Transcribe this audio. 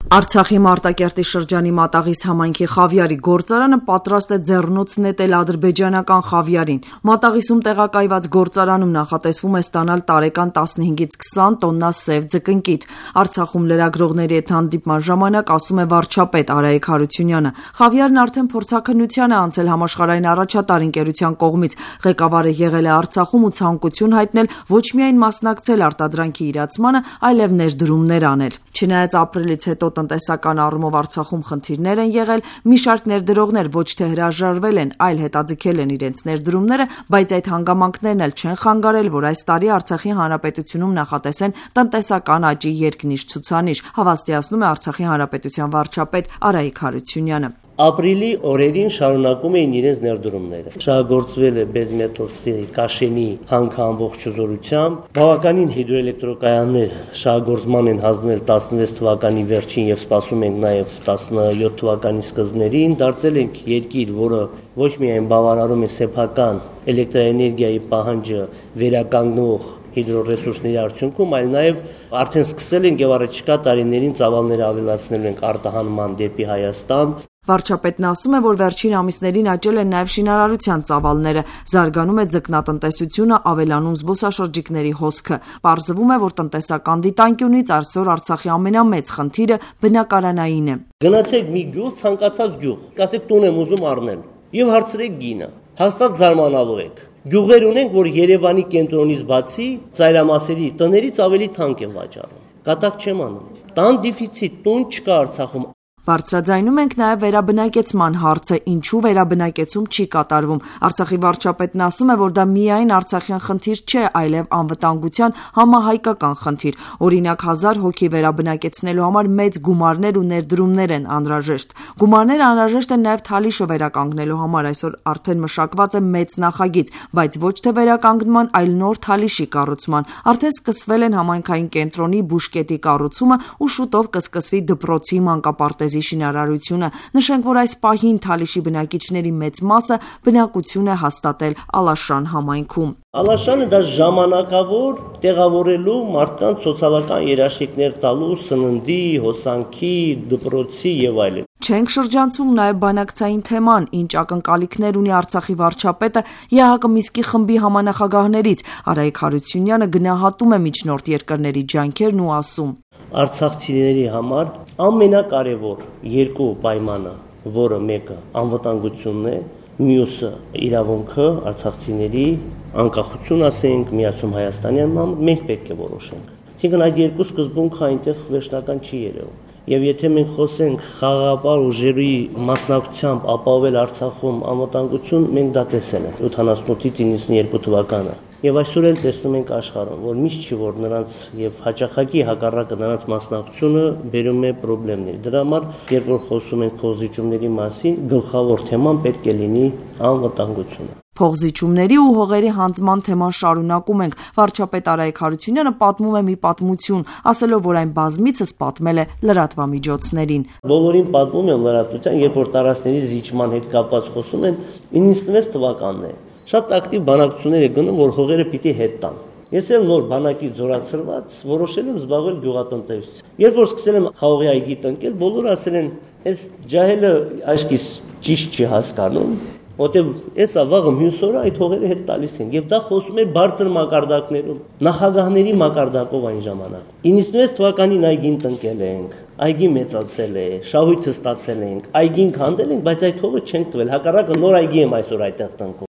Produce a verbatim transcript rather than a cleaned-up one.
Արցախի Մարտակերտի շրջանի Մատաղիս համայնքի խավիարի գործարանը պատրաստ է ձեռնոց նետել ադրբեջանական խավիարին։ Մատաղիսում տեղակայված գործարանում նախատեսվում է ստանալ տարեկան տասնհինգից քսան տոննա սև ձկնկիթ։ Արցախում լրագրողների հետ հանդիպման ժամանակ ասում է վարչապետ Արայիկ Հարությունյանը։ Խավիարն արդեն փորձաքննության է անցել համաշխարհային առաջատար ընկերության կողմից։ Ղեկավարը եղել է Արցախում ու ցանկություն հայտնել ոչ միայն մասնակցել արտադրանքի իրացմանը, այլև ներդրումներ անել։ Չնայած ապրիլից հետո տնտեսական առումով Արցախում խնդիրներ են եղել, մի շարք ներդրողներ ոչ թե հրաժարվել են, այլ հետաձգել են իրենց ներդրումները, բայց այդ հանգամանքներն էլ չեն խանգարել, որ այս տարի Արցախի Հանրապետությունում նախատեսեն տնտեսական աճի երկնիշ ցուցանիշ, հավաստիացնում է Արցախի Հանրապետության վարչապետ Արայիկ Հարությունյանը։ Ապրիլի օրերին շարունակում էին իրենց ներդրումները։ Շահագործվել է Բեզմետովսի Կաշենի հանքը ամբողջ զորությամբ։ Բավականին հիդրոէլեկտրոկայաններ շահագործման են հանձնել տասնվեց թվականի վերջին եւ սպասում ենք նաեւ տասնյոթ թվականի սկզբներին։ Դարձել ենք երկիր, որը ոչ միայն բավարարում է սեփական էլեկտրաէներգիայի պահանջը վերականգնող հիդրոռեսուրսների արդյունքում, այլ նաև արդեն սկսել ենք եւ առաջիկա տարիներին ծավալները ավելացնել ենք արտահանման դեպի Հայաստան։ Վարչապետն ասում է, որ վերջին ամիսներին աճել են նաև շինարարության ծավալները, զարգանում է ձկնատնտեսությունը, ավելանում զբոսաշրջիկների հոսքը։ Պարզվում է, որ տնտեսական դիտանկյունից այսօր Արցախի ամենամեծ խնդիրը բնակարանային է։ Գնացեք մի գյուղ, ցանկացած գյուղ, կասեք տուն եմ ուզում առնել եւ հարցրեք գինը։ Հաստատ զարմանալու եք։ Գյուղեր ունենք, որ Երևանի կենտրոնից բացի ծայրամասերի տներից ավելի թանկ են վաճառում։ Կատակ չեմ անում։ Տան դեֆիցիտ, տուն չկա Արցախում։ Բարձրաձայնում ենք նաև վերաբնակեցման հարցը, ինչու վերաբնակեցում չի կատարվում։ Արցախի վարչապետն ասում է, որ դա միայն արցախյան խնդիր չէ, այլև անվտանգության համահայկական խնդիր։ Օրինակ, հազար հոգի վերաբնակեցնելու համար մեծ գումարներ ու ներդրումներ են անհրաժեշտ։ Գումարները անհրաժեշտ են նաև Թալիշը վերականգնելու համար։ Այսօր արդեն մշակված է մեծ նախագիծ, բայց ոչ թե վերականգնման, այլ նոր Թալիշի կառուցման։ Արդեն սկսվել են համայնքային կենտրոնի բուժկետի կառուցումը ու շուտով կսկսվի դպրոցի մանկապարտեզի շինարարությունը։ Նշենք, որ այս պահին Թալիշի բնակիչների մեծ մասը բնակություն է հաստատել Ալաշան համայնքում։ Ալաշանը դա ժամանակավոր տեղավորելու մարդկանց սոցիալական երաշխիքներ տալու սննդի, հոսանքի, դպրոցի եւ այլն։ Չենք շրջանցում նաև բանակցային թեման, ինչ ակնկալիքներ ունի Արցախի վարչապետը ԵԱՀԿ Միսկի խմբի համանախագահներից։ Արայիկ Հարությունյանը գնահատում է միջնորդ երկրների ջանքերն ու ասում. Արցախցիների համար ամենակարևոր երկու պայմանը, որը մեկը անվտանգությունն է, մյուսը իրավունքը արցախցիների անկախություն ասենք, միացում Հայաստանի համար մենք պետք է որոշենք։ Այսինքն այդ երկու սկզբունքը այնտեղ վերջնական չի երևում։ Եվ եթե մենք խոսենք խաղաղապահ ուժերի մասնակցությամբ ապահովել Արցախում անվտանգություն, մենք դա տեսել ենք ութանասունութից իննսունյոթ թվականը։ Եվ այսօր էլ տեսնում ենք աշխարհում, որ միշտ չի որ նրանց եւ հաճախակի հակառակը նրանց մասնակցությունը բերում է խնդիրներ։ Դրա համար, երբ որ խոսում ենք փոխզիջումների մասին, գլխավոր թեման պետք է լինի անվտանգությունը։ Փոխզիջումների ու հողերի հանձնման թեման շարունակում ենք։ Վարչապետ Արայիկ Հարությունյանը պատմում է մի պատմություն, ասելով, որ այն բազմիցս պատմել է լրատվամիջոցներին։ Բոլորին պատմում եմ լրատվության, երբ որ տարածքների զիջման հետ կապված խոսում են, իննսունվեց թվականն է։ Շատ ակտիվ բանակցություններ է գնում, որ հողերը պիտի հետ տան։ Ես էլ նոր բանակի զորացրված որոշել եմ զբաղվել գյուղատնտեսությամբ։ Երբ որ սկսել եմ խաղողի այգի տնկել, բոլորը ասել են, «Այս ջահելը աշկիս ճիշտ չի հասկանում, որտեղ էսա վաղը մյուս օրը այդ հողերը հետ տալիս են»։ Եվ դա խոսում է բարձր մակարդակներում, նախագահների մակարդակով այն ժամանակ։ իննսունվեց թվականին այգին տնկել ենք, այգի մեծացել է, շահույթը ստացել ենք, այգին քանդել ենք, բայց այդ հողը չենք տվել։ Հակառակը նոր այգի եմ այսօր այդտեղ տնկում։